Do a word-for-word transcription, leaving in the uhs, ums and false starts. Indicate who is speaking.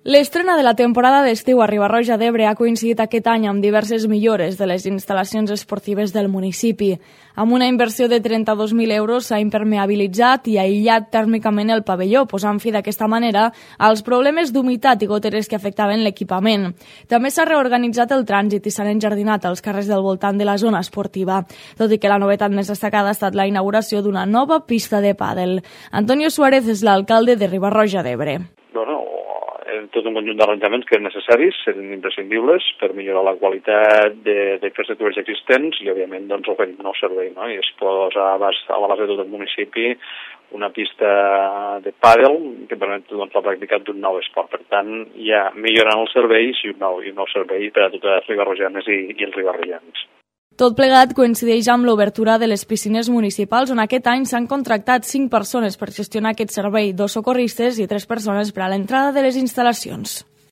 Speaker 1: L'estrena de la temporada d'estiu a Riba-roja d'Ebre ha coincidit aquest any amb diverses millores de les instal·lacions esportives del municipi. Amb una inversió de trenta-dos mil euros s'ha impermeabilitzat i aïllat tèrmicament el pavelló, posant fi d'aquesta manera als problemes d'humitat i goteres que afectaven l'equipament. També s'ha reorganitzat el trànsit i s'han enjardinat els carrers del voltant de la zona esportiva, tot i que la novetat més destacada ha estat la inauguració d'una nova pista de pàdel. Antonio Suárez és l'alcalde de Riba-roja d'Ebre.
Speaker 2: Bueno, tot un conjunt d'arranjaments que eren necessaris, eren imprescindibles per millorar la qualitat de, de infraestructures existents i, òbviament, doncs, oferir un nou servei, no? I es posa a l'abast de tot el municipi una pista de pàdel que permet doncs, la pràctica d'un nou esport. Per tant, ja millorant els serveis i un nou, i un nou servei per a totes les ribarrojanes i, i els ribarrojans.
Speaker 1: Tot plegat coincideix amb l'obertura de les piscines municipals, on aquest any s'han contractat cinc persones per gestionar aquest servei, dos socorristes i tres persones per a l'entrada de les instal·lacions.